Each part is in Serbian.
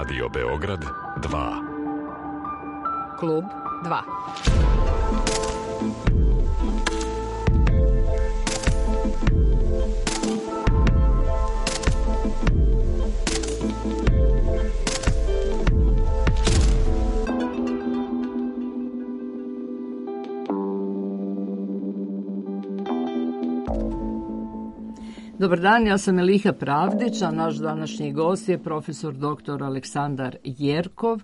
Radio Beograd 2. Klub 2. Dobar dan, ja sam Eliha Pravdić, a naš današnji gost je profesor dr. Aleksandar Jerkov,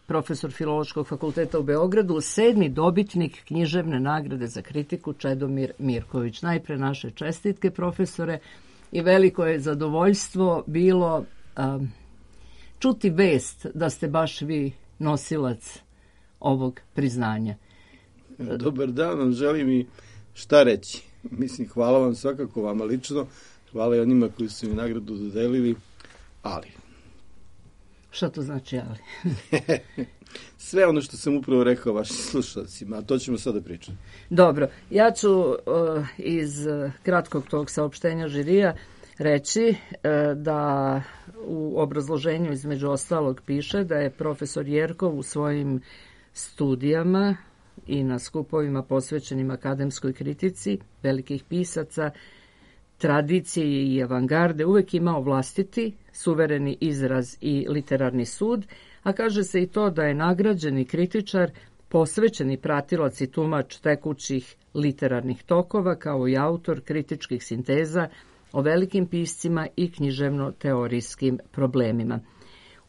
profesor Filološkog fakulteta u Beogradu, 7. dobitnik književne nagrade za kritiku Čedomir Mirković. Najpre naše čestitke, profesore, i veliko je zadovoljstvo bilo čuti vest da ste baš vi nosilac ovog priznanja. Dobar dan, vam želim i šta reći. Mislim, hvala vam svakako vama lično, hvala i onima koji su mi nagradu dodelili, ali... Šta to znači ali? Sve ono što sam upravo rekao vašim slušalcima, a to ćemo sada pričati. Dobro, ja ću iz kratkog tog saopštenja žirija reći da u obrazloženju između ostalog piše da je profesor Jerkov u svojim studijama i na skupovima posvećenim akademskoj kritici velikih pisaca, tradicije i avangarde uvek imao vlastiti, suvereni izraz i literarni sud, a kaže se i to da je nagrađeni kritičar, posvećeni pratilac i tumač tekućih literarnih tokova, kao i autor kritičkih sinteza o velikim piscima i književno-teorijskim problemima.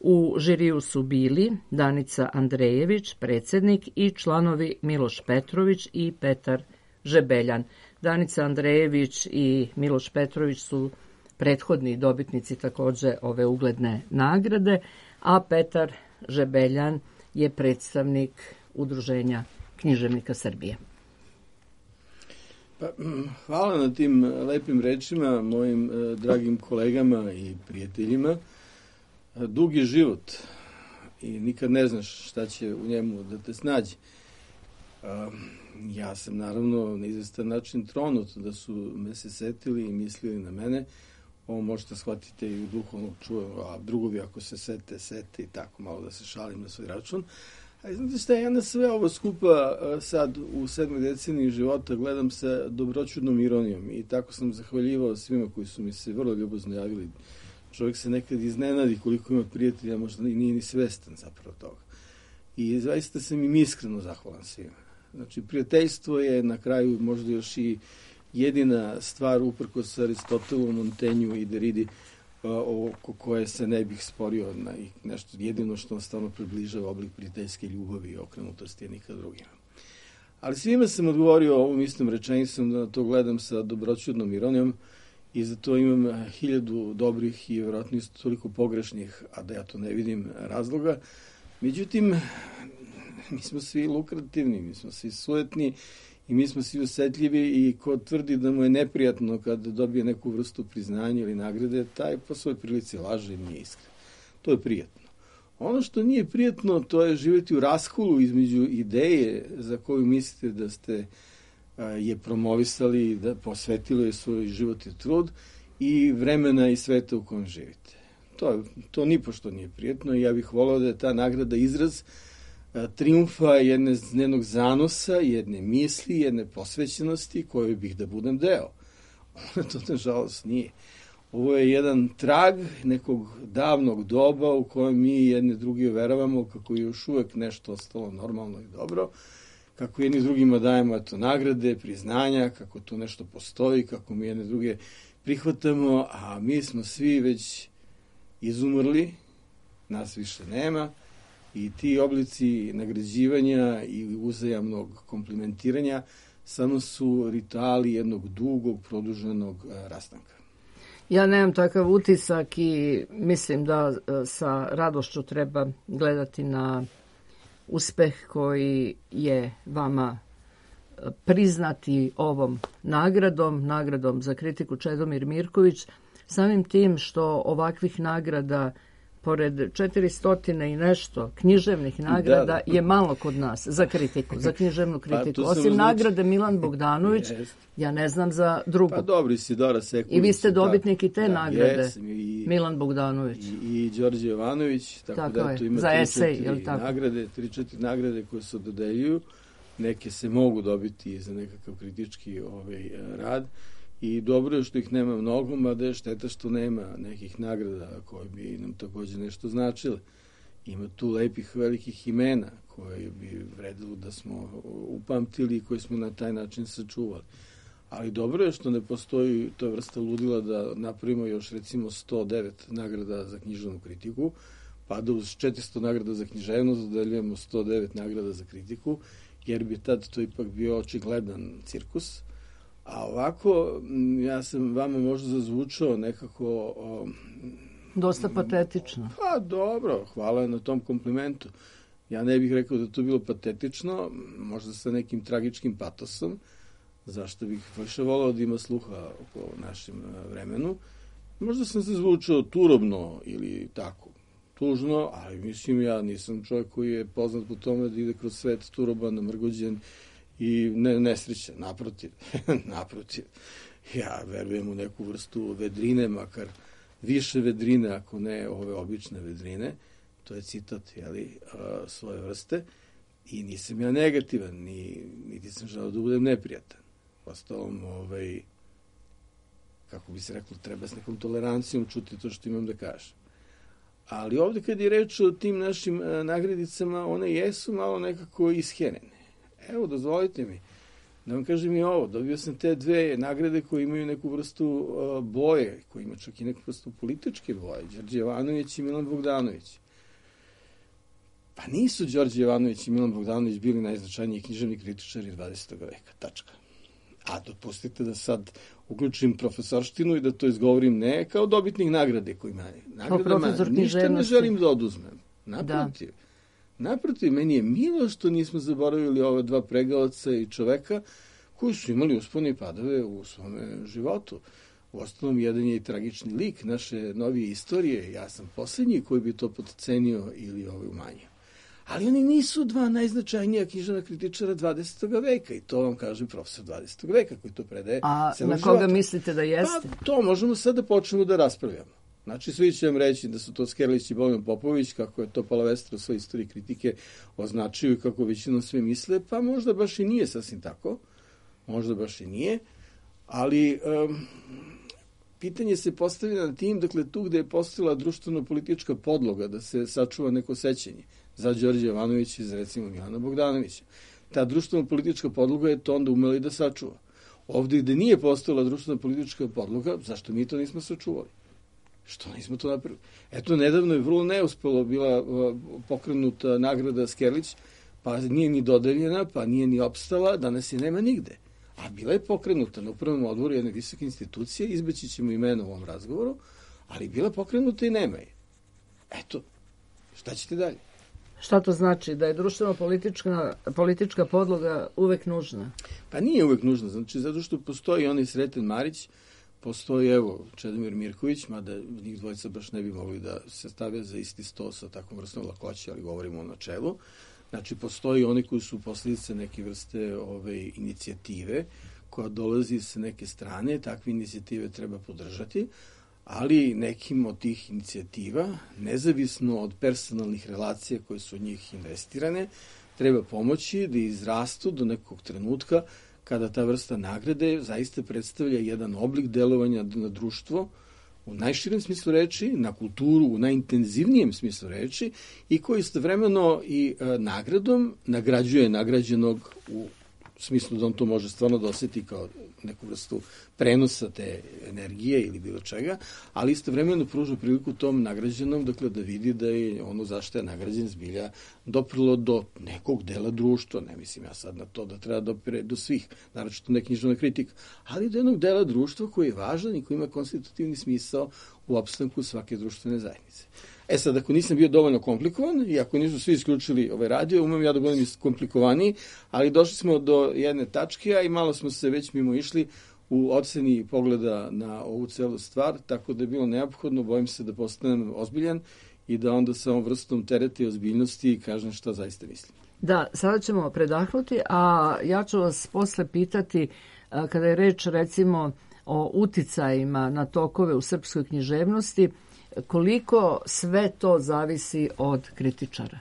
U žiriju su bili Danica Andrejević, predsjednik, i članovi Miloš Petrović i Petar Žebeljan. Danica Andrejević i Miloš Petrović su prethodni dobitnici također ove ugledne nagrade, a Petar Žebeljan je predstavnik Udruženja književnika Srbije. Pa, hvala na tim lepim rečima mojim dragim kolegama i prijateljima. Dug je život i nikad ne znaš šta će u njemu da te snađe. Ja sam naravno na izvestan način tronut da su me se setili i mislili na mene. Ovo možete shvatiti i u duhovnog čuva, a drugovi ako se sete i tako malo da se šalim na svoj račun. A znate šta, ja na sve ovo skupa sad u 7. deceniji života gledam sa dobroćudnom ironijom i tako sam zahvaljivao svima koji su mi se vrlo ljubazno javili. Čovjek se nekad iznenadi koliko ima prijatelja, možda i nije ni svestan zapravo toga. I zaista sam im iskreno zahvalan svima. Znači, prijateljstvo je na kraju možda još i jedina stvar uprkos Aristotelu, Montenju i Deridi oko koje se ne bih sporio na nešto jedino što vam stvarno približava oblik prijateljske ljubavi i okrenutosti je nikad drugima. Ali svima sam odgovorio ovom istom rečenicom da to gledam sa dobroćudnom ironijom i za to imam 1000 dobrih i vjerojatno isto toliko pogrešnih, a da ja to ne vidim razloga. Međutim, mi smo svi lukrativni, mi smo svi sujetni i mi smo svi osjetljivi i ko tvrdi da mu je neprijatno kad dobije neku vrstu priznanja ili nagrade, taj po svojoj prilici laže i nije iskren. To je prijatno. Ono što nije prijatno, to je živjeti u raskolu između ideje za koju mislite da ste je promovisali, da posvetilo je svoj život i trud i vremena i sveta u kojem živite. To nipošto nije prijatno i ja bih volao da je ta nagrada izraz triumfa jednog zanosa, jedne misli, jedne posvećenosti koju bih da budem deo. To nažalost nije. Ovo je jedan trag nekog davnog doba u kojem mi jedne drugi uveravamo kako je još uvek nešto ostalo normalno i dobro, kako jedni drugima dajemo nagrade, priznanja, kako tu nešto postoji, kako mi jedne druge prihvatamo, a mi smo svi već izumrli, nas više nema i ti oblici nagrađivanja i uzajamnog komplimentiranja samo su rituali jednog dugog, produženog rastanka. Ja nemam takav utisak i mislim da sa radošću treba gledati na uspeh koji je vama priznati ovom nagradom za kritiku Čedomir Mirković, samim tim što ovakvih nagrada pored 400 i nešto književnih nagrada je malo kod nas za kritiku, za književnu kritiku. Osim nagrade Milan Bogdanović, ja ne znam za drugu. Pa dobro, Isidora Sekulić. I vi ste dobitnik i te nagrade, Milan Bogdanović. I Đorđe Jovanović, tako da tu ima 3-4 nagrade, 3-4 nagrade koje se dodeljuju. Neke se mogu dobiti za nekakav kritički rad. I dobro je što ih nema mnogo, mada je šteta što nema nekih nagrada koje bi nam takođe nešto značile. Ima tu lepih velikih imena koje bi vredilo da smo upamtili i koje smo na taj način sačuvali. Ali dobro je što ne postoji to vrsta ludila da napravimo još recimo 109 nagrada za književnu kritiku, pa da uz 400 nagrada za književnost dodeljujemo 109 nagrada za kritiku, jer bi tad to ipak bio očigledan cirkus. A ovako, ja sam vama možda zazvučao nekako... Dosta patetično. Pa dobro, hvala na tom komplimentu. Ja ne bih rekao da to bilo patetično, možda sa nekim tragičkim patosom, zašto bih više volao da ima sluha oko našem vremenu. Možda sam se zvučao turobno ili tako, tužno, ali mislim ja nisam čovjek koji je poznat po tome da ide kroz svet turoban, namrgođen i nesrećan, naprotiv. Ja verujem u neku vrstu vedrine, makar više vedrine, ako ne ove obične vedrine. To je citat, svoje vrste. I nisam ja negativan, niti sam želeo da budem neprijatan. Ostalom, kako bi se reklo, treba s nekom tolerancijom čuti to što imam da kažem. Ali ovde kad je reč o tim našim nagradicama, one jesu malo nekako isherene. Evo, dozvolite mi da vam kažem i ovo. Dobio sam te dve nagrade koje imaju neku vrstu boje, koje ima čak i neku vrstu političke boje. Đorđe Jovanović i Milan Bogdanović. Pa nisu Đorđe Jovanović i Milan Bogdanović bili najznačajniji književni kritičari 20. veka. Tačka. A dopustite da sad uključim profesorštinu i da to izgovorim ne kao dobitnik nagrade koji ima. Nagradama ništa ne želim da oduzmem. Naprotiv. Naprotiv, meni je milo što nismo zaboravili ova dva pregavaca i čoveka koji su imali uspone i padove u svome životu. Uostalom, jedan je i tragični lik naše novije istorije. Ja sam posljednji koji bi to potcenio ili umanjio. Ali oni nisu dva najznačajnija književna kritičara 20. veka i to vam kaže profesor 20. veka koji to predaje. A na koga mislite da jeste? Pa to možemo sad da počnemo da raspravljamo. Znači, svi će vam reći da su to Skerlić i Bojan Popović, kako je to Palavestra u svojoj istoriji kritike označio i kako većinom sve misle, pa možda baš i nije sasvim tako. Možda baš i nije. Ali pitanje se postavlja na tim, dakle, tu gde je postojala društveno-politička podloga da se sačuva neko sećanje za Đorđe Jovanovića i za, recimo, Milana Bogdanovića. Ta društveno-politička podloga je to onda umela i da sačuva. Ovde gde nije postojala društveno-politička podloga, zašto mi to nismo sačuvali? Što nismo to napravili? Eto, nedavno je vrlo neuspelo bila pokrenuta nagrada Skerlić, pa nije ni dodeljena, pa nije ni opstala, danas je nema nigde. A bila je pokrenuta na upravnom odboru jedne visoke institucije, izbeći ćemo imena u ovom razgovoru, ali bila pokrenuta i nema je. Eto, šta ćete dalje? Šta to znači? Da je društveno-politička podloga uvek nužna? Pa nije uvek nužna, znači zato što postoji onaj Sreten Marić, postoji, evo, Čedomir Mirković, mada njih dvojica baš ne bi mogli da se stave za isti sto sa takvom vrstom lakoće, ali govorimo o načelu. Znači, postoji oni koji su posljedice neke vrste inicijative koja dolazi sa neke strane, takve inicijative treba podržati, ali nekim od tih inicijativa, nezavisno od personalnih relacija koje su od njih investirane, treba pomoći da izrastu do nekog trenutka kada ta vrsta nagrade zaista predstavlja jedan oblik delovanja na društvo u najširem smislu reči, na kulturu u najintenzivnijem smislu reči i koji istovremeno i nagradom nagrađuje nagrađenog u smislu da on to može stvarno da osjeti kao neku vrstu prenosa te energije ili bilo čega, ali istovremeno pruža priliku tom nagrađenom, dakle, da vidi da je ono zašto je nagrađen zbilja doprilo do nekog dela društva, ne mislim ja sad na to da treba dopire do svih, naročito ne književna kritika, ali do jednog dela društva koji je važan i koji ima konstitutivni smisao u opstanku svake društvene zajednice. E sad, ako nisam bio dovoljno komplikovan i ako nisu svi isključili ovaj radio, umem ja da budem komplikovaniji, ali došli smo do jedne tačke, a i malo smo se već mimo išli u oceni pogleda na ovu celu stvar, tako da je bilo neophodno, bojim se da postanem ozbiljan i da onda sa ovom vrstom tereta i ozbiljnosti kažem šta zaista mislim. Da, sada ćemo predahnuti, a ja ću vas posle pitati, kada je reč recimo o uticajima na tokove u srpskoj književnosti, koliko sve to zavisi od kritičara?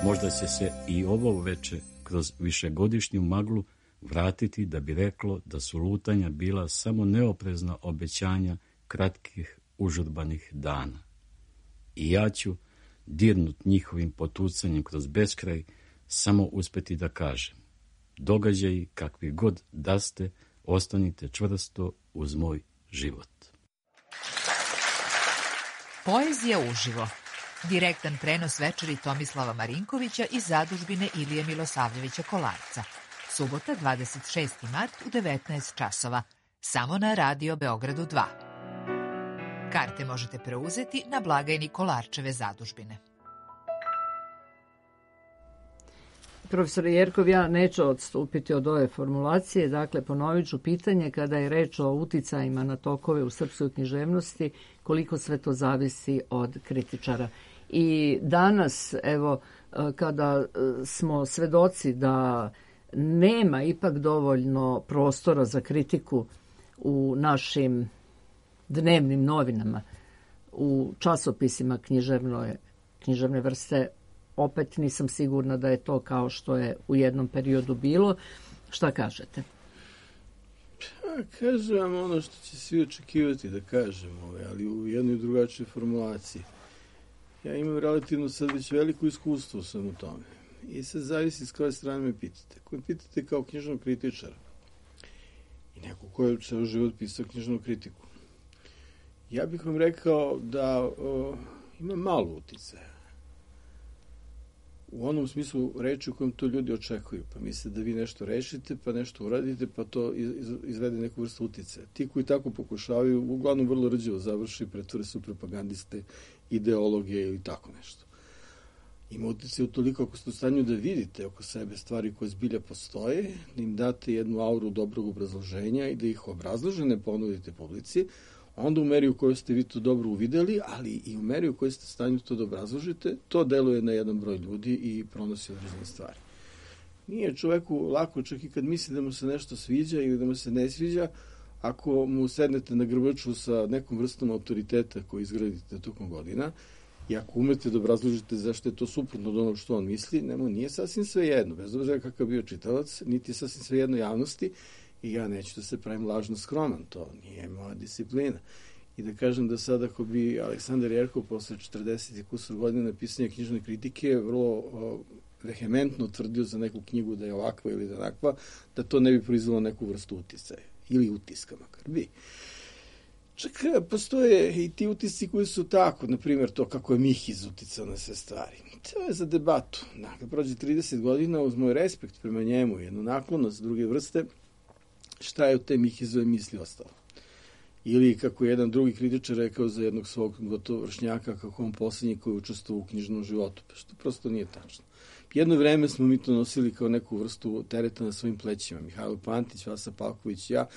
Možda će se i ovo veče kroz višegodišnju maglu vratiti da bi reklo da su lutanja bila samo neoprezna obećanja kratkih užurbanih dana. I ja ću, dirnut njihovim potucanjem kroz beskraj, samo uspeti da kažem: događaji kakvi god da ste, ostanite čvrsto uz moj život. Poezija uživo. Direktan prenos večeri Tomislava Marinkovića iz zadužbine Ilije Milosavljevića Kolarca. Subota, 26. mart u 19 časova. Samo na Radio Beogradu 2. Karte možete preuzeti na blagajni Kolarčeve zadužbine. Profesor Jerkov, ja neću odstupiti od ove formulacije, dakle ponovit ću pitanje kada je reč o uticajima na tokove u srpskoj književnosti, koliko sve to zavisi od kritičara. I danas, evo, kada smo svedoci da nema ipak dovoljno prostora za kritiku u našim dnevnim novinama, u časopisima književne vrste, opet nisam sigurna da je to kao što je u jednom periodu bilo. Šta kažete? Pa, kažem vam ono što će svi očekivati da kažem, ali u jednoj drugačoj formulaciji. Ja imam relativno sad već veliko iskustvo sam u tome. I sad zavisi s koje strane me pitate. Ako me pitate kao knjižnog kritičara i neko ko je ceo život pisao knjižnu kritiku, ja bih vam rekao da ima malo uticaja u onom smislu reči u kojem to ljudi očekuju. Pa misle da vi nešto rešite, pa nešto uradite, pa to izvede neku vrstu uticaja. Ti koji tako pokušavaju, uglavnom vrlo rđevo završi, pretvore su propagandiste, ideologe ili tako nešto. Ima utice u toliko ako ste u stanju da vidite oko sebe stvari koje zbilja postoje, da im date jednu auru dobrog obrazloženja i da ih obrazložene ponudite publici, onda u meri u kojoj ste vi to dobro uvideli, ali i u meri u kojoj ste u stanju to da obrazložite, to deluje na jedan broj ljudi i pronosi određene stvari. Nije čoveku lako, čak i kad misli da mu se nešto sviđa ili da mu se ne sviđa, ako mu sednete na grbaču sa nekom vrstom autoriteta koji izgradite tokom godina, i ako umete da obrazložite zašto je to suprotno od onog što on misli, nije sasvim sve jedno, bez obzira kakav bio čitalac, niti je sasvim sve jedno javnosti, i ja neću da se pravim lažno skroman, to nije moja disciplina. I da kažem da sad ako bi Aleksandar Jerkov posle 40 i kusur godina pisanja knjižne kritike vrlo vehementno tvrdio za neku knjigu da je ovakva ili da je onakva, da to ne bi proizvalo neku vrstu uticaja, ili utiska makar bi. Čak postoje i ti utisci koji su tako, na primjer to kako je Mihiz uticao na sve stvari. To je za debatu. Kad prođe 30 godina, uz moj respekt prema njemu, jednu naklonost druge vrste, šta je od te Mihizove misli ostalo? Ili kako je jedan drugi kritičar rekao za jednog svog gotovo vršnjaka, kako on posljednji koji je učestvovao u knjižnom životu, pa što prosto nije tačno. Jedno vreme smo mi to nosili kao neku vrstu tereta na svojim plećima. Mihajlo Pantić, Vasa Palković, ja,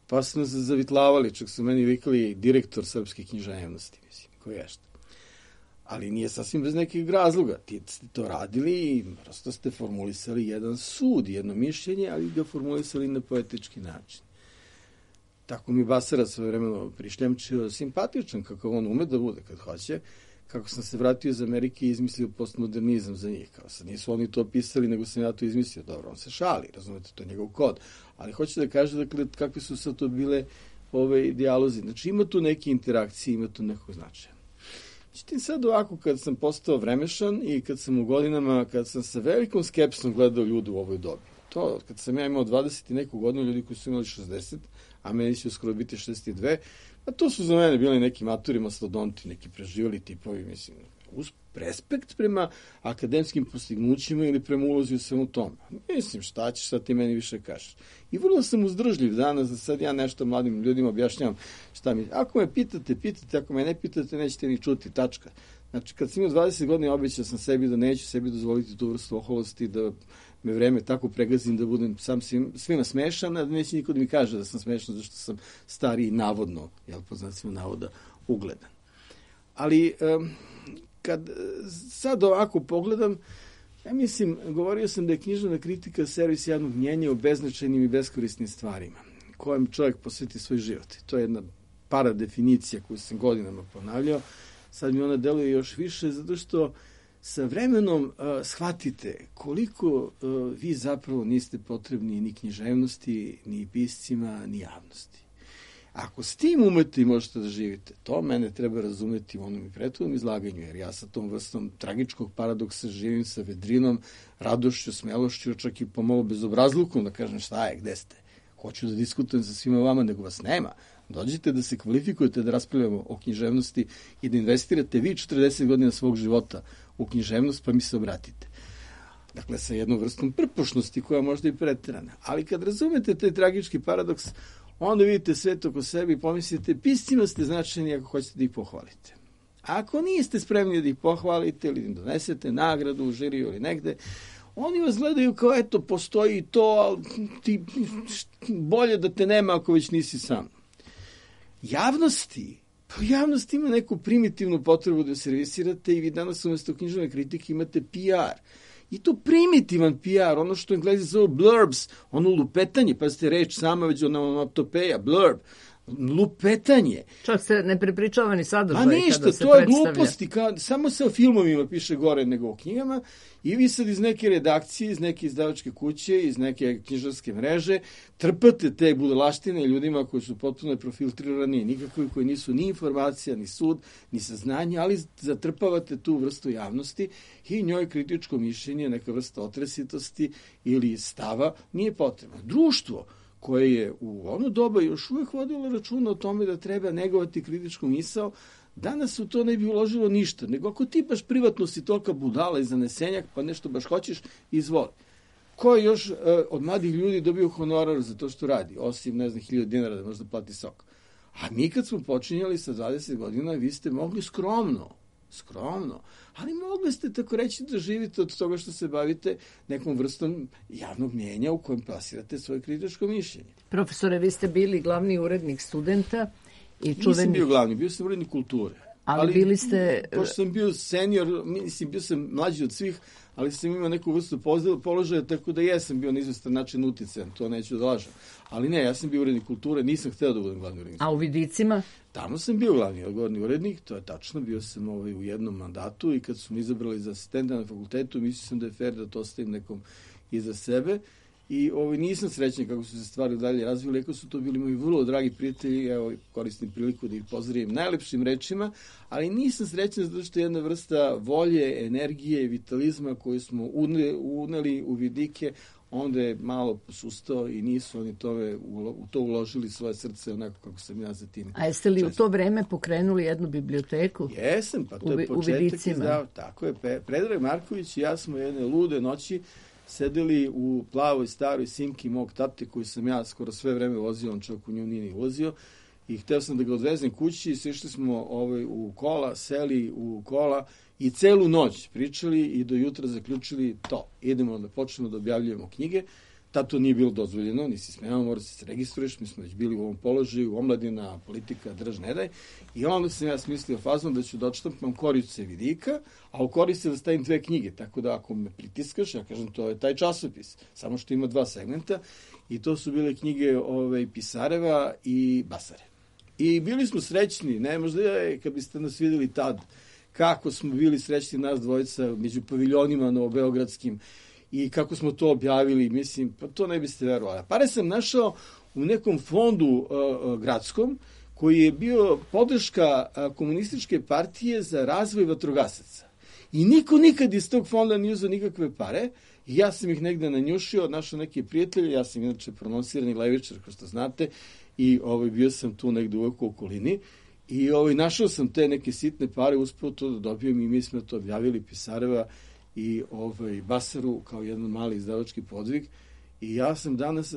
pa smo se zavitlavali, čak su meni vikali direktor srpske književnosti, mislim, koji je šta. Ali nije sasvim bez nekih razloga. Ti ste to radili i prosto ste formulisali jedan sud, jedno mišljenje, ali ga formulisali na poetički način. Tako mi Basara svoje vremeno prišljamčio, simpatičan kako on ume da bude kad hoće, kako sam se vratio iz Amerike i izmislio postmodernizam za njih. Kao sad nisu oni to pisali, nego sam ja to izmislio. Dobro, on se šali, razumete, to je njegov kod. Ali hoće da kaže, dakle, kakve su sad to bile ove dijalozi. Znači, ima tu neke interakcije, ima tu nekog značaja. Međutim, sad ovako, kad sam postao vremešan i kad sam u godinama, kad sam sa velikom skepsom gledao ljude u ovoj dobi. To, kad sam ja imao 20 i neku godinu, ljudi koji su imali 60, a meni će uskoro biti 62, a to su za mene bili neki maturi mastodonti, neki preživjeli tipovi, mislim, uz respekt prema akademskim postignućima ili prema ulozi u svemu tome. Mislim, šta ćeš, sad ti meni više kažeš. I vrlo sam uzdržljiv danas, da sad ja nešto mladim ljudima objašnjavam šta mi. Ako me pitate, ako me ne pitate, nećete ni čuti, tačka. Znači, kad sam imao 20 godina, obećao sam sebi da neću sebi dozvoliti tu vrstu oholosti, da me vreme tako pregazim da budem sam svima smešan, a da neće niko da mi kaže da sam smešan, zašto sam stariji navodno, po znacima navoda, ugledan. Ali, kad sad ovako pogledam, ja mislim, govorio sam da je književna kritika servis javnog mnjenja o beznačajnim i beskorisnim stvarima, kojem čovjek posveti svoj život. To je jedna paradefinicija koju sam godinama ponavljao. Sad mi ona deluje još više, zato što sa vremenom shvatite koliko vi zapravo niste potrebni ni književnosti, ni piscima, ni javnosti. Ako s tim umete i možete da živite, to mene treba razumeti u onom i prethodnom izlaganju, jer ja sa tom vrstom tragičkog paradoksa živim sa vedrinom, radošću, smelošću, čak i pomalo bezobrazlukom da kažem šta je, gde ste. Hoću da diskutujem sa svima vama, nego vas nema. Dođite da se kvalifikujete da raspravljamo o književnosti i da investirate vi 40 godina svog života u književnost, pa mi se obratite. Dakle, sa jednom vrstom prpošnosti koja možda i preterana. Ali kad razumete taj tragički paradoks, onda vidite sve to oko sebe i pomislite, piscima ste značajni ako hoćete da ih pohvalite. A ako niste spremni da ih pohvalite ili im donesete nagradu u žiriju ili negde, oni vas gledaju kao, eto, postoji to, ali ti bolje da te nema ako već nisi sam. Javnost ima neku primitivnu potrebu da servisirate i vi danas umjesto književne kritike imate PR. I to primitivan PR, ono što Englezi zove blurbs, ono lupetanje, pa ste reč sama već onomatopeja, blurb, lupetanje. Čak se ne prepričava ni sadržaj kada se predstavlja. To je gluposti, samo se o filmovima piše gore nego o knjigama i vi sad iz neke redakcije, iz neke izdavačke kuće, iz neke knjižarske mreže trpate te budalaštine ljudima koji su potpuno profiltrirani, nikakvi koji nisu ni informacija, ni sud, ni saznanje, ali zatrpavate tu vrstu javnosti i njoj kritičko mišljenje, neka vrsta otresitosti ili stava nije potrebno. Društvo koje je u ono doba još uvek vodilo računa o tome da treba negovati kritičku misao, danas u to ne bi uložilo ništa, nego ako ti baš privatno si tolika budala i zanesenjak, pa nešto baš hoćeš, izvoli. Ko je još od mladih ljudi dobio honorar za to što radi, osim, 1000 dinara da možda plati sok. A mi kad smo počinjali sa 20 godina, vi ste mogli skromno, ali mogli ste tako reći da živite od toga što se bavite nekom vrstom javnog mnjenja u kojem plasirate svoje kritičko mišljenje. Profesore, vi ste bili glavni urednik Studenta i čuveni... Nisam bio glavni, bio sam urednik Kulture. Ali bili ste... Pošto sam bio senior, mislim, bio sam mlađi od svih, ali sam imao neku vrstu položaja, tako da jesam bio na izvestan način uticajan, to neću da lažem. Ali ne, ja sam bio urednik Kulture, nisam hteo da budem glavni urednik. A u Vidicima? Tamo sam bio glavni urednik, to je tačno, bio sam u jednom mandatu i kad su mi izabrali za asistenta na fakultetu, mislio sam da je fair da to ostavim nekom iza sebe. I nisam srećan kako su se stvari dalje razvili, ako su to bili moji vrlo dragi prijatelji, evo koristim priliku da ih pozdravim najlepšim rečima, ali nisam srećan zato što je jedna vrsta volje, energije i vitalizma koju smo uneli u vidike, onda je malo posustao i nisu oni u to uložili svoje srce onako kako sam ja za tim. A jeste li u to vreme pokrenuli jednu biblioteku? Jesam, pa to je početak izdao. Tako je, Predrag Marković i ja smo jedne lude noći sedeli u plavoj staroj Simki mog tate koju sam ja skoro sve vreme vozio, on čovjek u nju nije ni ulazio i hteo sam da ga odvezem kući i sišli smo u kola, seli u kola i celu noć pričali i do jutra zaključili to. Idemo da počnemo da objavljujemo knjige. Tad to nije bilo dozvoljeno, nisi smeo, mora se registruješ, mi smo već bili u ovom položaju, omladina, politika, drž ne daj. I onda sam ja smislio fazom da ću da odštampam korice vidika, a u korice da stavim 2 knjige, tako da ako me pritiskaš, ja kažem to je taj časopis, samo što ima 2 segmenta i to su bile knjige Pisareva i Basare. I bili smo srećni, ne, možda kad biste nas videli tad, kako smo bili srećni nas dvojica među paviljonima novobeogradskim, i kako smo to objavili, mislim, pa to ne biste verovali. Pare sam našao u nekom fondu gradskom, koji je bio podrška komunističke partije za razvoj vatrogasaca. I niko nikad iz tog fonda nije uzeo nikakve pare, i ja sam ih negde nanjušio, našao neke prijatelje, ja sam inače prononcirani levičar, kao što znate, i bio sam tu negde uvek u okolini, i našao sam te neke sitne pare, uspeo to da dobijem i mi smo to objavili, Pisareva i Basaru kao jedan mali izdavački podvig i ja sam danas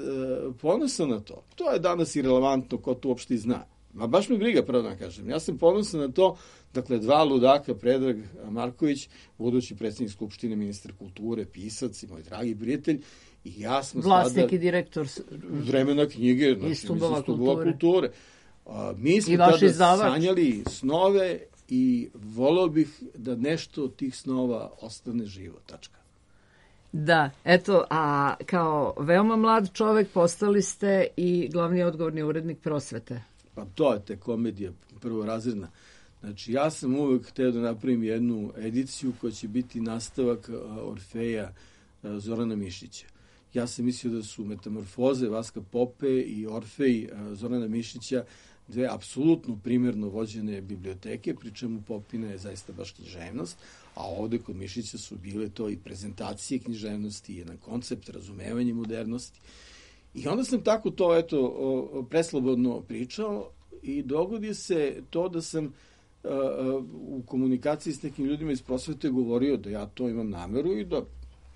ponosan na to. To je danas irelevantno, ko to uopšte zna. Ma baš mi briga, pravo da kažem. Ja sam ponosan na to, dakle, 2 ludaka, Predrag Marković, budući predsjednik Skupštine, ministar kulture, pisac i moj dragi prijatelj, i ja smo vlasnik i direktor vremena knjige, i Stubova kulture. Mi smo tada sanjali snove i voleo bih da nešto od tih snova ostane živo, tačka. Da, eto, a kao veoma mlad čovek postali ste i glavni odgovorni urednik Prosvete. Pa to je te komedija prvorazredna. Znači, ja sam uvek hteo da napravim jednu ediciju koja će biti nastavak Orfeja Zorana Mišića. Ja sam mislio da su Metamorfoze Vaska Pope i Orfej Zorana Mišića 2 apsolutno primjerno vođene biblioteke, pri čemu Popina je zaista baš književnost, a ovde kod Mišića su bile to i prezentacije književnosti, jedan koncept, razumevanje modernosti. I onda sam tako to, preslobodno pričao i dogodi se to da sam u komunikaciji s nekim ljudima iz prosvete govorio da ja to imam nameru i da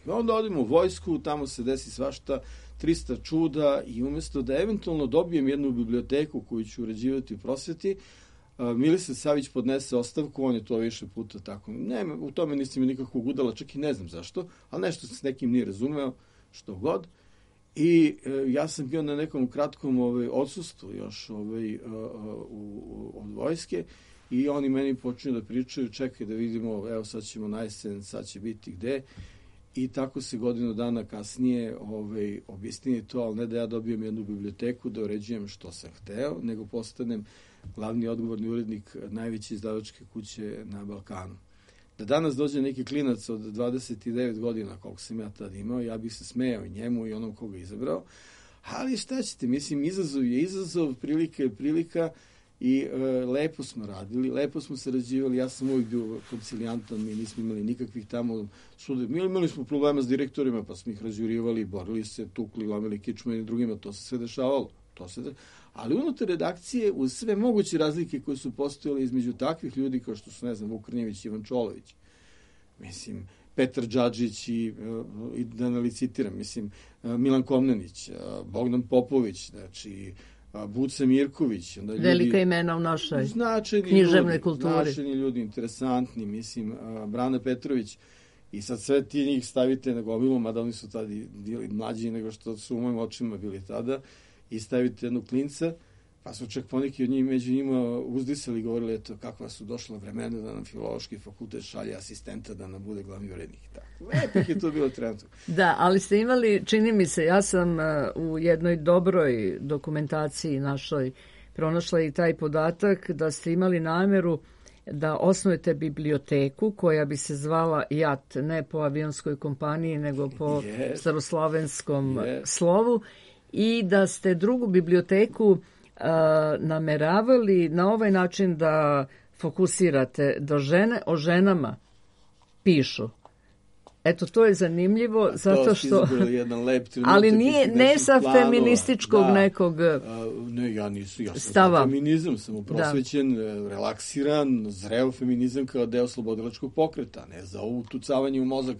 onda odemo u vojsku, tamo se desi svašta, 300 čuda i umjesto da eventualno dobijem jednu biblioteku koju ću uređivati u prosveti, Milisav Savić podnese ostavku, on je to više puta tako. Ne, u tome nisam nikakvog udala, čak i ne znam zašto, ali nešto se s nekim nije razumeo, što god. I ja sam bio na nekom kratkom odsustvu još od vojske i oni meni počinju da pričaju, čekaj da vidimo, evo sad ćemo na jesen, sad će biti gde. I tako se godinu dana kasnije objasnije to, ali ne da ja dobijem jednu biblioteku da uređujem što sam hteo, nego postanem glavni odgovorni urednik najveće izdavačke kuće na Balkanu. Da danas dođe neki klinac od 29 godina, koliko sam ja tad imao, ja bih se smejao i njemu i onom koga izabrao, ali šta ćete, mislim, izazov je izazov, prilika je prilika I lepo smo radili, lepo smo sarađivali, ja sam uvijek bio koncilijantan, mi nismo imali nikakvih tamo sude. Mi imali smo problema s direktorima, pa smo ih razjurivali, borili se, tukli, lomili kičme i drugima, to se sve dešavalo. Ali unutar redakcije, uz sve moguće razlike koje su postojale između takvih ljudi kao što su, ne znam, Vukrnjević, Ivan Čolović, mislim, Petar Đadžić i da ne licitiram, mislim, Milan Komnenić, Bogdan Popović, znači, Buca Mirković. Onda ljudi, velika imena u našoj književnoj kulturi. Značajni ljudi, interesantni, mislim, Brana Petrović. I sad sve ti njih stavite na gomilu, mada oni su tada bili mlađi nego što su u mojim očima bili tada, i stavite jednog klinca, pa su čak poneki od njih među njima uzdisali i govorili, eto, kakva su došla vremena da nam Filološki fakultet šalje asistenta da nam bude glavni urednik. Lepih je to bilo trenutno. Da, ali ste imali, čini mi se, ja sam u jednoj dobroj dokumentaciji našoj pronašla i taj podatak da ste imali nameru da osnujete biblioteku koja bi se zvala JAT, ne po avionskoj kompaniji, nego po staroslovenskom slovu, i da ste drugu biblioteku nameravali na ovaj način da fokusirate da žene o ženama pišu. Eto, to je zanimljivo, zato što... jedan lep trenutak, ali ne sa feminističkog nekog ne, ja sam stava. Feminizam, sam prosvećen, relaksiran, zreo feminizam kao deo slobodilačkog pokreta, ne za ovo utucavanje u mozak.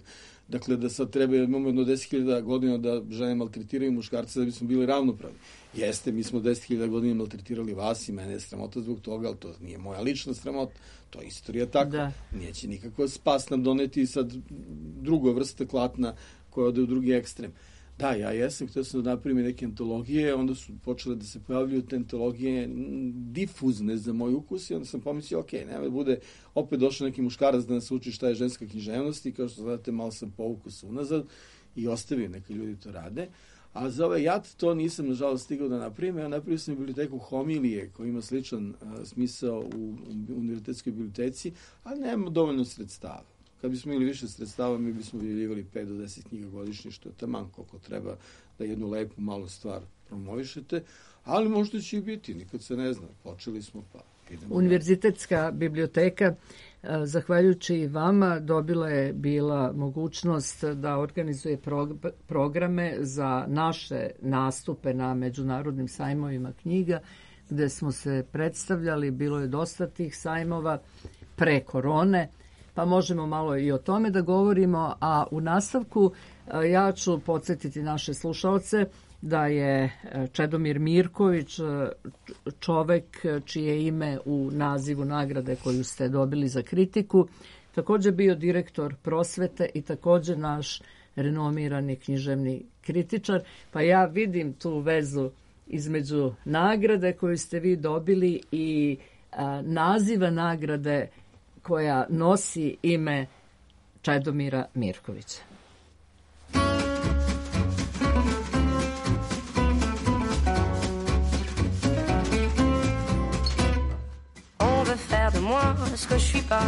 Dakle, da sad treba, imamo jedno 10.000 godina da žene maltretiraju muškarce da bismo bili ravnopravni. Jeste, mi smo 10.000 godina maltretirali vas i mene je sramota zbog toga, ali to nije moja lična sramota, to je istorija tako. Da. Neće nikako spas nam doneti sad druga vrsta klatna koja ode u drugi ekstrem. Da, ja jesam, htio sam da napravim neke antologije, onda su počele da se pojavljuju te antologije difuzne za moj ukus i onda sam pomislio, ok, nema da bude opet došao neki muškarac da nas uči šta je ženska književnost i kao što znate, malo sam povukao se unazad i ostavio neke ljudi to rade. A za ovaj JAT to nisam, nažalost, stigao da napravim. Ja napravio sam biblioteku Homilije, koja ima sličan smisao u univerzitetskoj biblioteci, ali nema dovoljno sredstava. Kad bismo imali više sredstava, mi bismo objavljivali 5 do 10 knjiga godišnje, što je taman koliko treba da jednu lepu malu stvar promovišete, ali možda će i biti, nikad se ne zna. Počeli smo, pa idemo. Univerzitetska biblioteka, zahvaljujući vama, dobila je bila mogućnost da organizuje programe za naše nastupe na međunarodnim sajmovima knjiga, gde smo se predstavljali, bilo je dosta tih sajmova pre korone, pa možemo malo i o tome da govorimo, a u nastavku ja ću podsjetiti naše slušalce da je Čedomir Mirković čovek čije ime u nazivu nagrade koju ste dobili za kritiku, također bio direktor prosvete i također naš renomirani književni kritičar, pa ja vidim tu vezu između nagrade koju ste vi dobili i naziva nagrade koja nosi ime Čedomira Mirkovića. On veut faire de moi ce que je suis pas.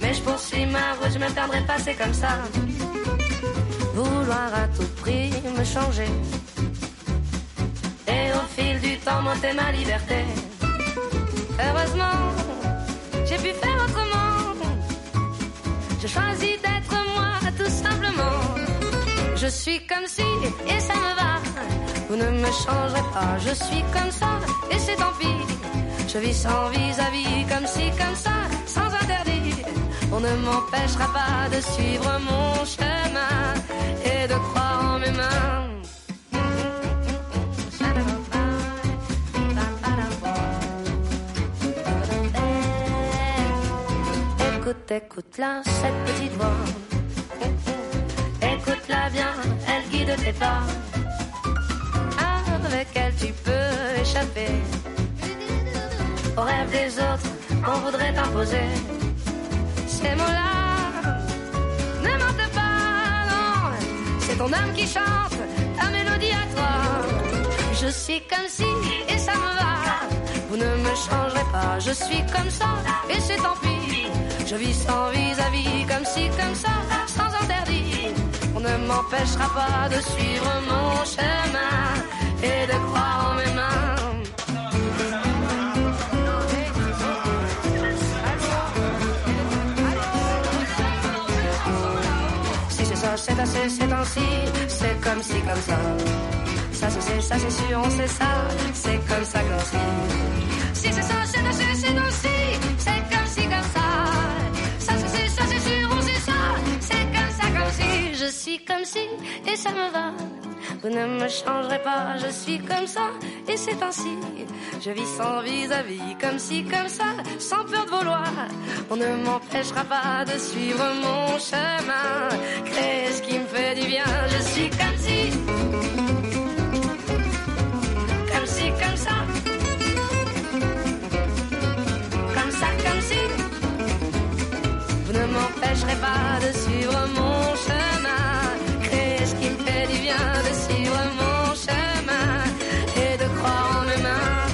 Mais je poursuis ma route, je me perdrai pas, c'est comme ça. Vouloir à tout prix me changer. Et au fil du temps, monter ma liberté. Heureusement, j'ai pu faire autrement. Je choisis d'être moi, tout simplement. Je suis comme si, et ça me va. Vous ne me changerez pas. Je suis comme ça, et c'est tant pis. Je vis sans vis-à-vis, comme si, comme ça, sans interdit. On ne m'empêchera pas de suivre mon chemin et de croire en mes mains. Écoute-la, cette petite voix. Écoute-la bien, elle guide tes pas. Avec elle tu peux échapper aux rêves des autres qu'on voudrait t'imposer. Ces mots-là ne mentent pas, non. C'est ton âme qui chante ta mélodie à toi. Je suis comme si, et ça me va. Vous ne me changerez pas, je suis comme ça, et c'est tant pis. Je vis sans vis-à-vis, comme si, comme ça, sans interdit. On ne m'empêchera pas de suivre mon chemin et de croire en mes mains. s'achète assez ces temps-ci, c'est comme ci, comme ça. Ça c'est sûr, on sait ça, c'est comme ça, comme si. Si c'est ça, c'est assez ces temps-ci, c'est comme ci, comme ça. Ça c'est sûr, on sait ça, c'est comme ça, comme si. Je suis comme si, et ça me va. Vous ne me changerez pas, je suis comme ça, et c'est ainsi. Je vis sans vis-à-vis, comme ci, comme ça, sans peur de vouloir. On ne m'empêchera pas de suivre mon chemin, créer ce qui me fait du bien. Je suis comme si, comme ci, comme ça, comme ça, comme si. Vous ne m'empêcherez pas de suivre mon chemin, créer ce qui me fait du bien, de suivre mon chemin et de croire en mes mains.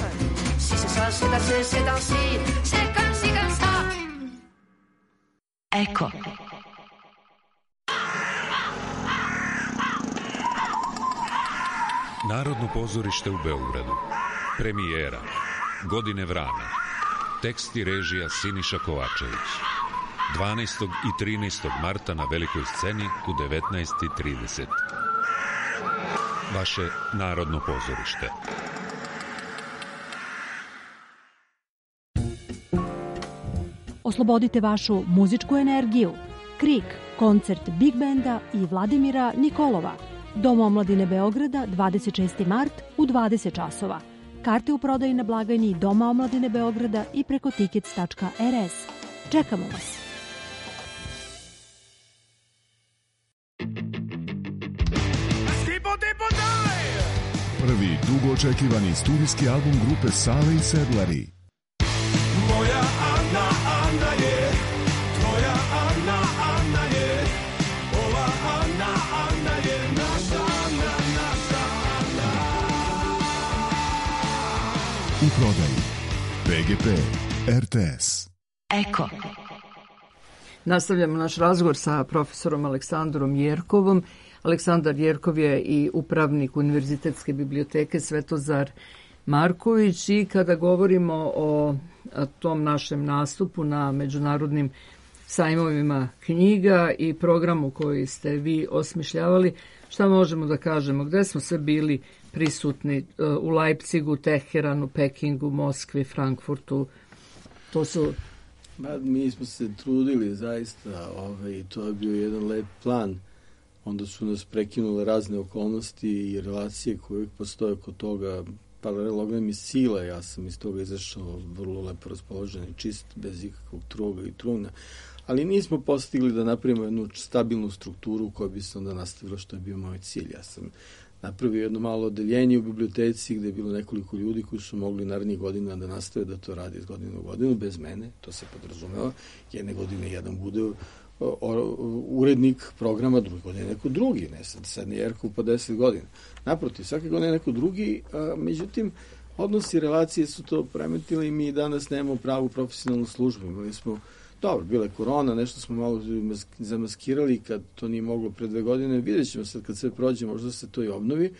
Si c'est ça, c'est assez, c'est ainsi, c'est comme ci, comme ça. Eko. Narodno pozorište u Beogradu. Premijera. Godine vrana. Tekst i režija Siniša Kovačević. 12. i 13. marta na velikoj sceni u 19:30. Vaše Narodno pozorište. Oslobodite vašu muzičku energiju. Krik, koncert Big Benda i Vladimira Nikolova. Dom omladine Beograda, 26. mart u 20 časova. Karte u prodaji na blagajni Doma omladine Beograda i preko tickets.rs. Čekamo vas. Prvi dugo očekivani studijski album grupe Sale i Sedlari. Moja Ana, Ana je, tvoja Ana, Ana je, ova Ana, Ana je, naša Ana, naša Ana. U prodaji PGP RTS. Eko. Nastavljamo naš razgovor sa profesorom Aleksandrom Jerkovom. Aleksandar Jerkov je i upravnik Univerzitetske biblioteke Svetozar Marković i kada govorimo o tom našem nastupu na međunarodnim sajmovima knjiga i programu koji ste vi osmišljavali, šta možemo da kažemo? Gde smo sve bili prisutni? U Leipzigu, Teheranu, Pekingu, Moskvi, Frankfurtu? To su... Mi smo se trudili zaista, to je bio jedan lep plan. Onda su nas prekinule razne okolnosti i relacije koje uvijek postoje kod toga. Paralelogram i sila, ja sam iz toga izašao vrlo lepo raspoložen i čist, bez ikakvog truga i truna. Ali nismo postigli da napravimo jednu stabilnu strukturu koja bi se onda nastavila, što je bio moj cilj. Ja sam napravio jedno malo odeljenje u biblioteci gde je bilo nekoliko ljudi koji su mogli narednih godina da nastave da to radi iz godine u godinu, bez mene, to se podrazumeva. Jedne godine jedan bude urednik programa, druge godine neko drugi, ne sad ne Jerkov po 10 godina. Naprotiv, svake godine neko drugi, međutim, odnosi i relacije su to premetili i mi danas nemamo pravu profesionalnu službu. Imali smo, dobro, bila je korona, nešto smo malo zamaskirali kad to nije moglo pre 2 godine. Vidjet ćemo sad kad sve prođe, možda se to i obnovi.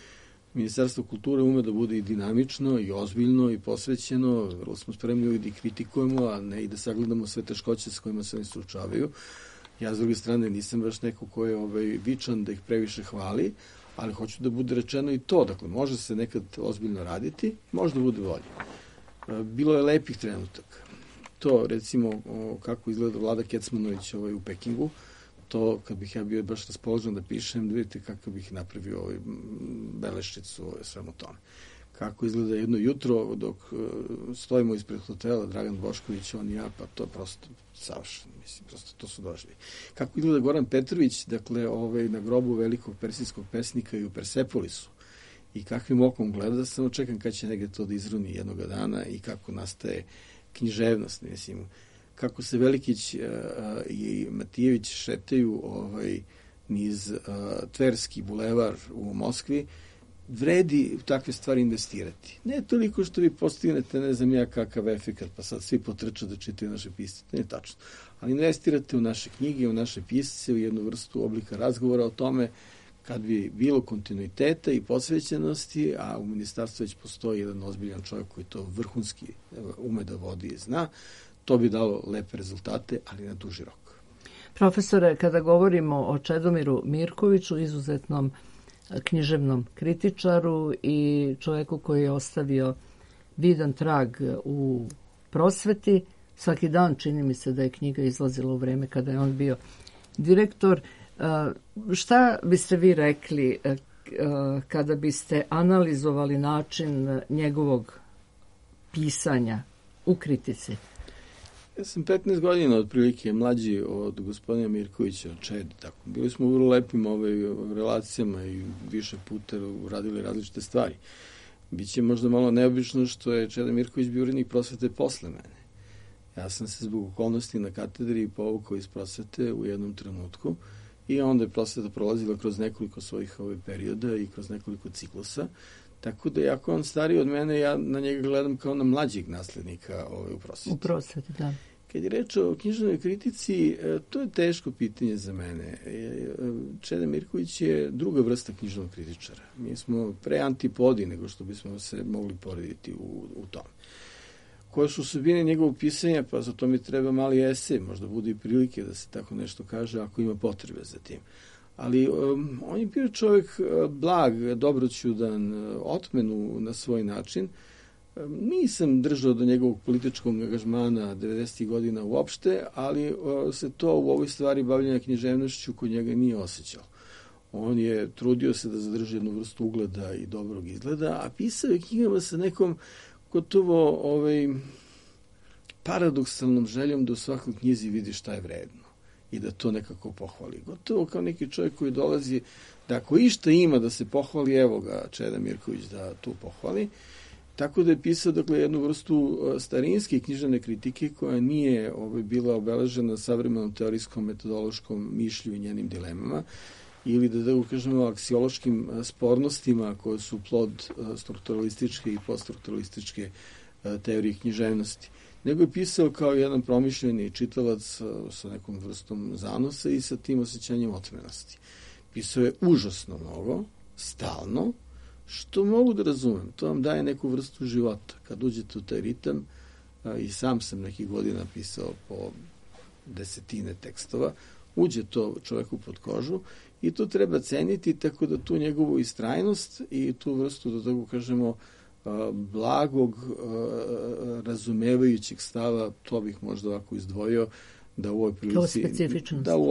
Ministarstvo kulture ume da bude i dinamično, i ozbiljno, i posvećeno. Vrlo smo spremni uvijek da ih kritikujemo, a ne i da sagledamo sve teškoće s kojima se oni suočavaju. Ja, s druge strane, nisam baš neko ko je vičan da ih previše hvali, ali hoću da bude rečeno i to. Dakle, može se nekad ozbiljno raditi, možda bude bolje. Bilo je lepih trenutaka. To, recimo, kako izgleda Vlada Kecmanović u Pekingu, to, kad bih ja bio baš raspoložen da pišem, da vidite kako bih napravio beleščicu svemu tome. Kako izgleda jedno jutro dok stojimo ispred hotela, Dragan Bošković, on i ja, pa to je prosto savršeno, mislim, prosto to su doživlje. Kako izgleda Goran Petrović, dakle, na grobu velikog persijskog pesnika i u Persepolisu, i kakvim okom gleda, samo čekam kad će negde to da izruni jednoga dana i kako nastaje književnost, mislim, kako se Velikić i Matijević šetaju niz Tverski bulevar u Moskvi, vredi u takve stvari investirati. Ne toliko što vi postignete, ne znam ja kakav efekat, pa sad svi potrču da čitaju naše pisce, to nije tačno. Ali investirate u naše knjige, u naše pisce, u jednu vrstu oblika razgovora o tome, kad bi bilo kontinuiteta i posvećenosti, a u ministarstvu već postoji jedan ozbiljan čovjek koji to vrhunski ume da vodi i zna, to bi dalo lepe rezultate, ali na duži rok. Profesore, kada govorimo o Čedomiru Mirkoviću, izuzetnom književnom kritičaru i čovjeku koji je ostavio vidan trag u prosveti, svaki dan čini mi se da je knjiga izlazila u vreme kada je on bio direktor. Šta biste vi rekli kada biste analizovali način njegovog pisanja u kritici? Ja sam 15 godina otprilike mlađi od gospodina Mirkovića, od Čede. Tako. Bili smo u vrlo lepim relacijama i više puta radili različite stvari. Biće možda malo neobično što je Čeda Mirković bio urednik prosvete posle mene. Ja sam se zbog okolnosti na katedri povukao iz prosvete u jednom trenutku i onda je prosveta prolazila kroz nekoliko svojih perioda i kroz nekoliko ciklusa. Tako da, jako on stariji od mene, ja na njega gledam kao na mlađeg naslednika u prosveti. U prosveti, da. Kad je reč o književnoj kritici, to je teško pitanje za mene. Čeda Mirković je druga vrsta književnog kritičara. Mi smo pre antipodi nego što bismo se mogli porediti u tome. Koje su osobine njegovog pisanja, pa za to mi treba mali esej, možda bude i prilike da se tako nešto kaže ako ima potrebe za tim. Ali on je bio čovjek blag, dobroćudan, otmenu na svoj način. Nisam držao do njegovog političkog angažmana 90. godina uopšte, ali se to u ovoj stvari bavljanja književnošću kod njega nije osjećalo. On je trudio se da zadrži jednu vrstu ugleda i dobrog izgleda, a pisao je knjigama sa nekom gotovo paradoksalnom željom da u svakoj knjizi vidi šta je vredno i da to nekako pohvali. Gotovo kao neki čovjek koji dolazi da ako išta ima da se pohvali, evo ga Čeda Mirković da tu pohvali. Tako da je pisao jednu vrstu starinske književne kritike koja nije bila obeležena savremenom teorijskom metodološkom mišlju i njenim dilemama ili da kažemo aksiološkim spornostima koje su plod strukturalističke i poststrukturalističke teorije književnosti. Nego je pisao kao jedan promišljeni čitalac sa nekom vrstom zanosa i sa tim osjećanjem otmenosti. Pisao je užasno mnogo, stalno, što mogu da razumem. To vam daje neku vrstu života. Kad uđete u taj ritam, i sam sam nekih godina pisao po desetine tekstova, uđe to čoveku pod kožu i to treba ceniti, tako da tu njegovu istrajnost i tu vrstu, da tako kažemo, blagog, razumevajućeg stava, to bih možda ovako izdvojio, da u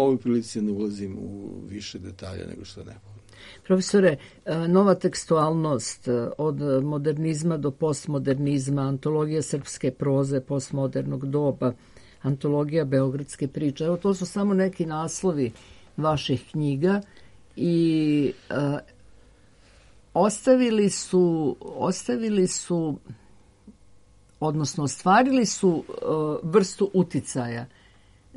ovoj prilici ne ulazim u više detalja nego što je neophodno. Profesore, nova tekstualnost od modernizma do postmodernizma, antologija srpske proze postmodernog doba, antologija beogradske priče, evo to su samo neki naslovi vaših knjiga i ostavili su, odnosno ostvarili su vrstu uticaja,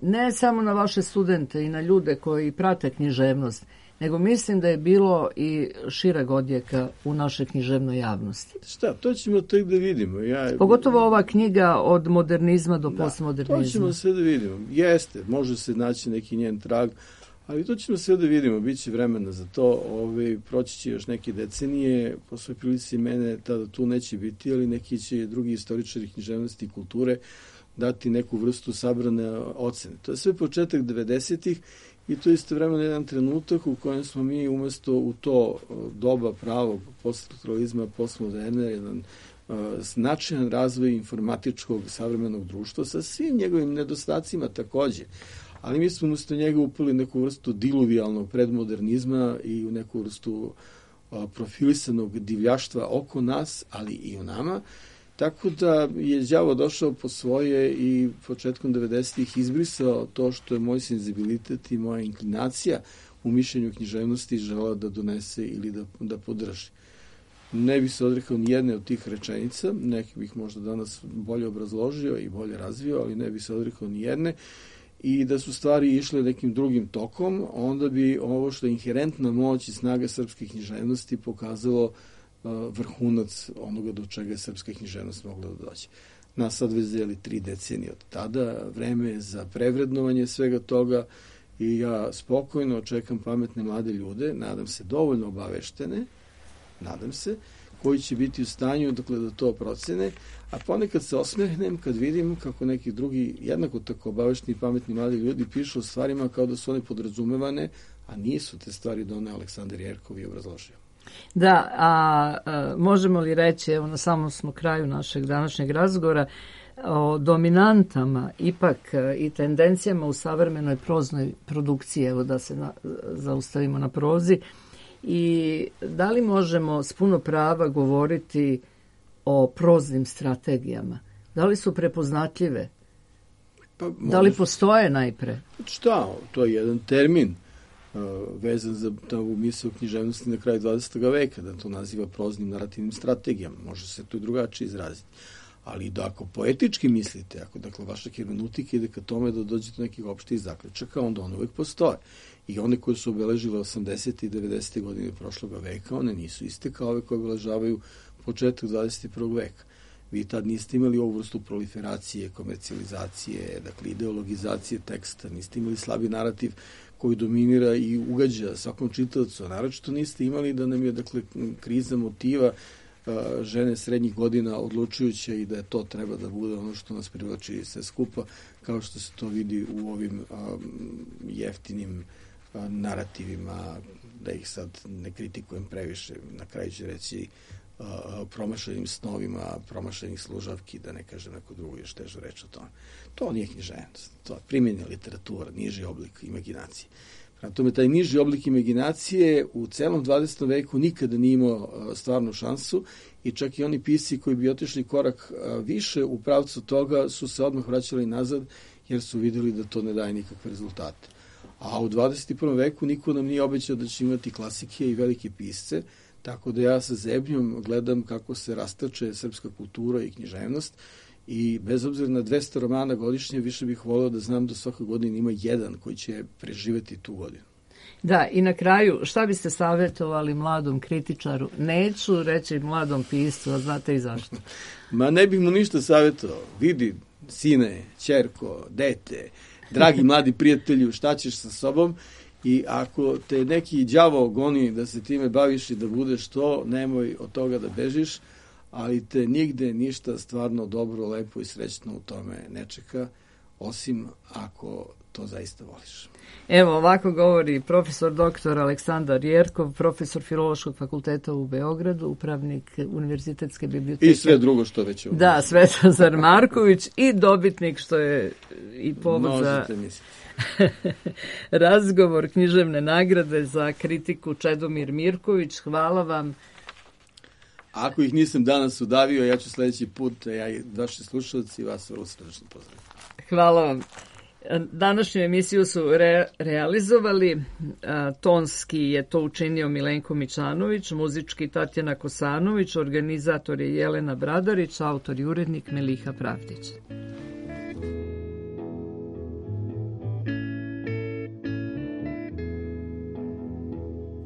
ne samo na vaše studente i na ljude koji prate književnost, nego mislim da je bilo i šireg odjeka u našoj književnoj javnosti. Šta, to ćemo tek da vidimo. Pogotovo ova knjiga od modernizma do postmodernizma. To ćemo sve da vidimo. Jeste, može se naći neki njen trag, ali to ćemo sve da vidimo. Biće vremena za to. Proći će još neke decenije. Po svoj prilici mene tada tu neće biti, ali neki će drugi istoričari književnosti i kulture dati neku vrstu sabrane ocene. To je sve početak 90-ih i to je istovremeno jedan trenutak u kojem smo mi umesto u to doba pravog poststrukturalizma, postmoderne, jedan značajan razvoj informatičkog savremenog društva sa svim njegovim nedostacima takođe. Ali mi smo umesto njega upali neku vrstu diluvijalnog predmodernizma i u neku vrstu profilisanog divljaštva oko nas, ali i u nama. Tako da je đavo došao po svoje i početkom 90-ih izbrisao to što je moj senzibilitet i moja inklinacija u mišljenju književnosti želao da donese ili da podrži. Ne bih se odrekao ni jedne od tih rečenica, neki bih možda danas bolje obrazložio i bolje razvio, ali ne bih se odrekao ni jedne. I da su stvari išle nekim drugim tokom, onda bi ovo što je inherentna moć i snaga srpske književnosti pokazalo vrhunac onoga do čega je srpska književnost mogla da dođe. Nas sad već deli 3 decenije od tada, vreme je za prevrednovanje svega toga i ja spokojno očekam pametne mlade ljude, nadam se dovoljno obaveštene, nadam se, koji će biti u stanju dakle, da to procene, a ponekad se osmehnem kad vidim kako neki drugi, jednako tako obavešteni i pametni mladi ljudi pišu o stvarima kao da su one podrazumevane, a nisu te stvari doneo Aleksandar Jerkov i obrazložio. Da, a možemo li reći, evo na samom smo kraju našeg današnjeg razgovora, o dominantama ipak i tendencijama u savremenoj proznoj produkciji, evo da se zaustavimo na prozi, i da li možemo s puno prava govoriti o proznim strategijama? Da li su prepoznatljive? Pa, da li postoje najpre? Šta? To je jedan termin vezan za ovu misao književnosti na kraju 20. veka, da to naziva proznim narativnim strategijama. Može se to i drugačije izraziti. Ali da ako poetički mislite, ako dakle vaša hermeneutika ide ka tome da dođete do nekih opštih zaključaka, onda one uvek postoje. I one koje su obeležile 80. i 90. godine prošlog veka, one nisu iste kao ove koje obeležavaju početak 21. veka. Vi tad niste imali ovu vrstu proliferacije, komercijalizacije, dakle ideologizacije teksta, niste imali slabi narativ koji dominira i ugađa svakom čitaocu, a naročito niste imali da nam je dakle kriza motiva žene srednjih godina odlučujuća i da to treba da bude ono što nas privlači sve skupa, kao što se to vidi u ovim jeftinim narativima, da ih sad ne kritikujem previše, na kraju ću reći promašenim snovima, promašenih služavki, da ne kažem neko drugo još težu reč o tome. To nije književnost, to je primjenja literatura, niži oblik imaginacije. Prema tome, taj niži oblik imaginacije u celom 20. veku nikada nije imao stvarnu šansu i čak i oni pisci koji bi otišli korak više u pravcu toga su se odmah vraćali nazad jer su videli da to ne daje nikakve rezultate. A u 21. veku niko nam nije obećao da će imati klasike i velike pisce, tako da ja sa zebnjom gledam kako se rastače srpska kultura i književnost i bez obzira na 200 romana godišnje, više bih voleo da znam da svake godine ima jedan koji će preživeti tu godinu. Da, i na kraju, šta biste savjetovali mladom kritičaru? Neću reći mladom piscu, a znate i zašto? Ma ne bih mu ništa savjetovao. Vidi, sine, ćerko, dete, dragi mladi prijatelju, šta ćeš sa sobom? I ako te neki đavo goni da se time baviš i da budeš to, nemoj od toga da bežiš, ali te nigde ništa stvarno dobro, lepo i srećno u tome ne čeka, osim ako to zaista voliš. Evo, ovako govori profesor doktor Aleksandar Jerkov, profesor Filološkog fakulteta u Beogradu, upravnik Univerzitetske biblioteke. I sve drugo što već je. Da, Svetozar Marković i dobitnik, što je i povod za razgovor književne nagrade za kritiku, Čedomir Mirković. Hvala vam. Ako ih nisam danas udavio, ja ću sledeći put, ja i vaši slušalci, vas vrlo srdečno pozdravim. Hvala vam. Današnju emisiju su realizovali, tonski je to učinio Milenko Mičanović, muzički Tatjana Kosanović, organizator je Jelena Bradarić, autor i urednik Meliha Pravdić.